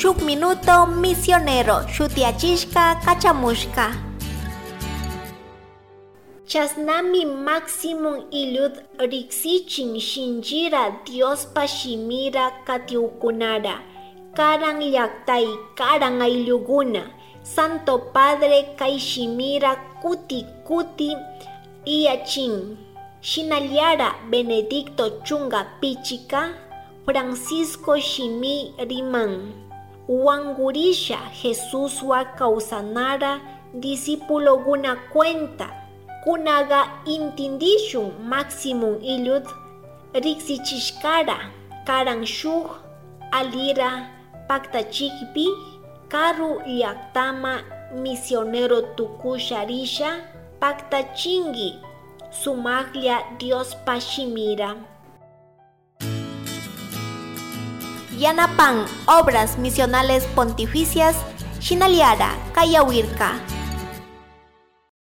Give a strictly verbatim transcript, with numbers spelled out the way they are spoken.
Shuk minuto misionero shutiyachishka kachamushka. Chasnami Maximum Illud riksichin shinchira Diospa shimira katiukunara, karan llaktay, karan aylluguna, Santo Padre kay shimira kuti kuti iyachin. Shinallara Benedicto chunga pichika Francisco shimi riman, wangurisha Jesuswa kausanara discipuloguna cuenta. Kunaga intindishun Maximum Illud riksichishkara, karan shuk alira paktachikpi, karu llaktama misionero tukusha risha paktachinki sumaklla Diospa shimira. Yanapan Obras Misionales Pontificias shinallara kayawirka.